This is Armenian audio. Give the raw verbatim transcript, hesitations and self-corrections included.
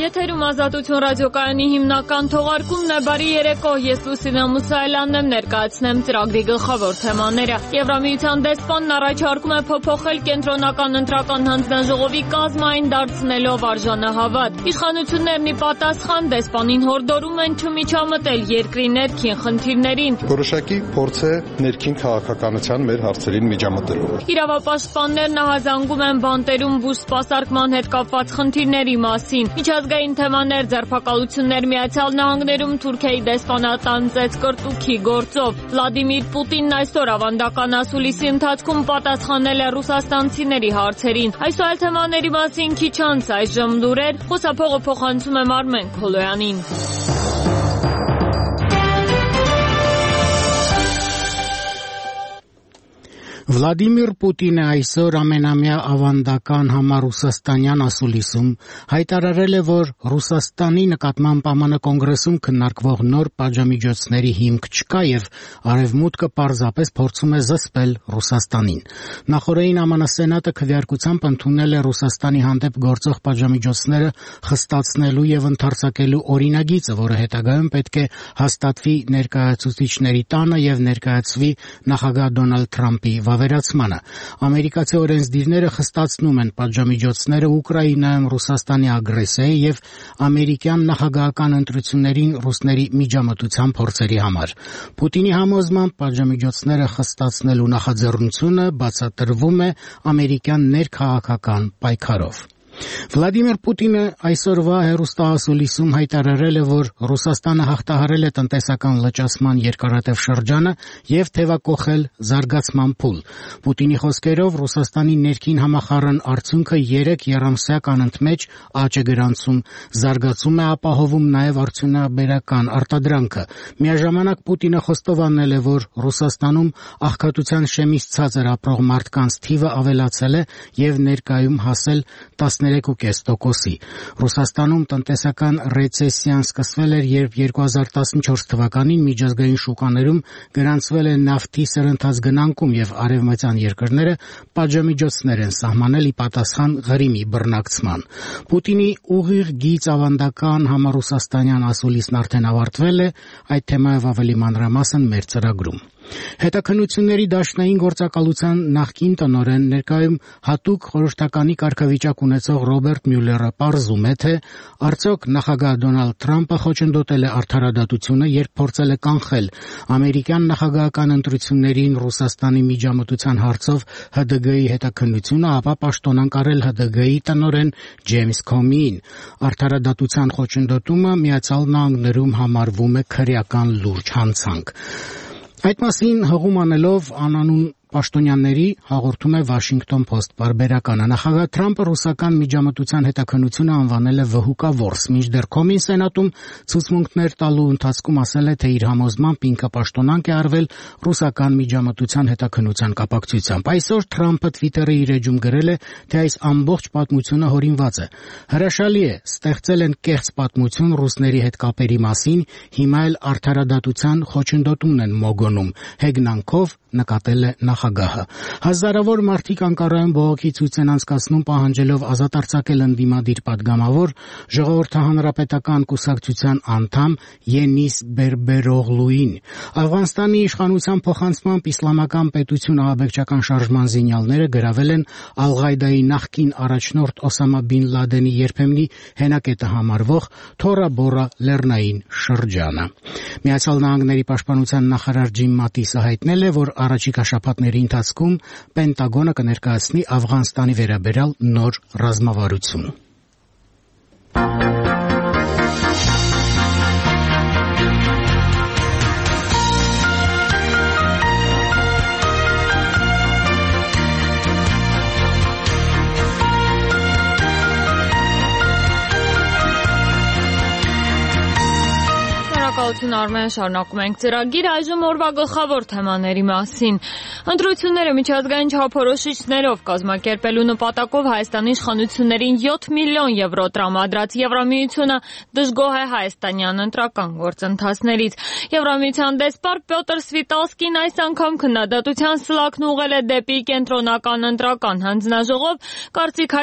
Եթերում Ազատություն ռադիոկայանի հիմնական թողարկումն է։ Բարի երեկո, ես Լուսինե Մուսայելյանն եմ, ներկայացնեմ ծրագրի գլխավոր թեմաները։ Եվրամիության դեսպանն առաջարկում է փոփոխել կենտրոնական ընտրական հանձնաժողովի կազմային դարձնելով արժանահավատ։ Իշխանություններն ի պատասխան դեսպանին հորդորում են չմիջամտել երկրի ներքին խնդիրներին։ Որոշակի փորձ է ներքին քաղաքականության մեր հարցերին միջամտելու։ Իրավապաշտպաններն ահազանգում են բանտերում բուժ սպասարկման հետ կապված խնդիրների մասին։ Միջազգային թեմաներ, ձերբակալություններ Միացյալ Նահանգներում Թուրքիայի դեսպանատան ծեծկրտուքի գործով։ Վլադիմիր Պուտինն այսօր ավանդական ասուլիսի ընթացքում պատասխանել է ռուսաստանցիների հարցերին։ Այս այլ թեմաների մասին քիչ անց այժմ լուրեր, խոսափողը փոխանցում եմ Արմեն Քոլոյանին։ Վլադիմիր Պուտինը այսօր ամենամյա ավանդական համառուսաստանյան ասուլիսում հայտարարել է, որ Ռուսաստանի նկատմամբ ԱՄՆ կոնգրեսում քննարկվող նոր պատժամիջոցների հիմք չկա եւ Արևմուտքը պարզապես փորձում է զսպել Ռուսաստանին։ Նախորդին ԱՄՆ Սենատը քվեարկությամբ ընդունել է Ռուսաստանի հանդեպ գործող պատժամիջոցները խստացնելու եւ ընդարձակելու օրինագիծը, որը հետագայում պետք է հաստատվի ներկայացուցիչների տանը եւ ներկայացվի նախագահ Դոնալդ Թրամփի վերացմանը։ Ամերիկացի օրենսդիրները խստացնում են պատժամիջոցները Ուկրաինայում Ռուսաստանի ագրեսիայի եւ ամերիկյան նախագահական ընտրություններին ռուսների միջամտության փորձերի համար։ Պուտինի համոզմամբ պատժամիջոցները խստացնելու նախաձեռնությունը բացատրվում է ամերիկյան ներքաղաքական պայքարով։ Վլադիմիր Պուտինը այսօրվա հեռուստաասուլիսում հայտարարել է, որ Ռուսաստանը հաղթահարել է տնտեսական լճացման երկարատև շրջանը եւ թեւակոխել զարգացման փուլ։ Պուտինի խոսքերով Ռուսաստանի ներքին համախառն արդյունքը երեք եռամսյակ անընդմեջ աճ է գրանցում, զարգացում է ապահովում նաեւ արդյունաբերական արտադրանքը։ Միաժամանակ Պուտինը խոստովանել է, որ Ռուսաստանում աղքատության շեմից ցածր ապրող մարդկանց թիվը ավելացել է եւ ներկայում հասել տասներեք կես տոկոսի։ Ռուսաստանում տնտեսական ռեցեսիան սկսվել էր, երբ երկու հազար տասնչորս թվականին միջազգային շուկաներում գրանցվել է նավթի սրընթաց գնանկում եւ արևմտյան երկրները պատժամիջոցներ են սահմանել ի պատասխան Ղրիմի բռնակցման։ Պուտինի ուղիղ գիծ ավանդական համառուսաստանյան ասուլիսն արդեն ավարտվել է, այդ թեմայով ավելի մանրամասն մեր ծրագրում։ Հետաքննությունների դաշնային գործակալության նախկին տնօրեն, ներկայում հատուկ խորհրդականի կարգավիճակ ունեցող Ռոբերտ Մյուլլերը պարզում է, թե արդյոք նախագահ Դոնալդ Թրամփը խոչընդոտել է արդարադատությունը, երբ փորձել է կանխել ամերիկյան նախագահական ընտրություններին Ռուսաստանի միջամտության հարցով Հ D G-ի հետաքննությունը, ապա պաշտոնակարել Հ D G-ի տնօրեն Ջեյմս Քոմիին։ Արդարադատության խոչընդոտումը Միացյալ Նահանգներում համարվում է քրեական լուրջ հանցանք։ Այդ մասին հղում անելով անանուն պաշտոնյաների հաղորդում է Washington Post պարբերականը։ Նախագահ Թրամփը ռուսական միջամտության հետաքննությունը անվանել է վհուկավորս, մինչդեռ Քոմին Սենատում ցուցմունքներ տալու ընթացքում ասել է, թե իր համոզմամբ ինքը պաշտոնանկ է արվել ռուսական միջամտության հետաքննության կապակցությամբ։ Այսօր Թրամփը Twitter-ի իր էջում գրել է, թե այս ամբողջ պատմությունը հորինված է։ Հրաշալի է, ստեղծել են կեղծ պատմություն ռուսների հետ կապերի մասին, հիմա էլ արդարադատության խոչընդոտումն են մոգոնում, հեգնանքով նկատել է նախագահը։ Հազարավոր մարդիկ Անկարայում բողոքի ցույց են անցկացնում, պահանջելով ազատ արձակել ընդդիմադիր պատգամավոր Ժողովրդահանրապետական կուսակցության անդամ Ենիս Բերբերօղլուին։ Աֆղանստանի իշխանության փոխանցմամբ իսլամական պետություն ահաբեկչական շարժման զինյալները գրավել են Ալ-Ղաիդայի նախկին առաջնորդ Օսամա բին Լադենի երբեմնի հենակետը համարվող Թորա Բորա լեռնային շրջանը։ Միացյալ Նահանգների պաշտպանության նախարար Ջիմ Մատիսը հայտնել է, որ առաջիկա շաբաթների ընթացքում Պենտագոնը կներկայացնի Աֆղանստանի վերաբերյալ նոր ռազմավարություն։ Շնորհակալություն Արմեն, շարունակում ենք ծրագիրը, այժմ օրվա գլխավոր թեմաների մասին։ Ընտրությունները միջազգային չափորոշիչներով կազմակերպելու նպատակով Հայաստանի իշխանություններին յոթ միլիոն եվրո տրամադրած Եվրամիությունը դժգոհ է հայաստանյան ընտրական գործընթացներից։ Եվրամիության դեսպան Պյոտր Սվիտալսկին այս անգամ քննադատության սլաքն ուղղել է դեպի կենտրոնական ընտրական հանձնաժողով, կարծիք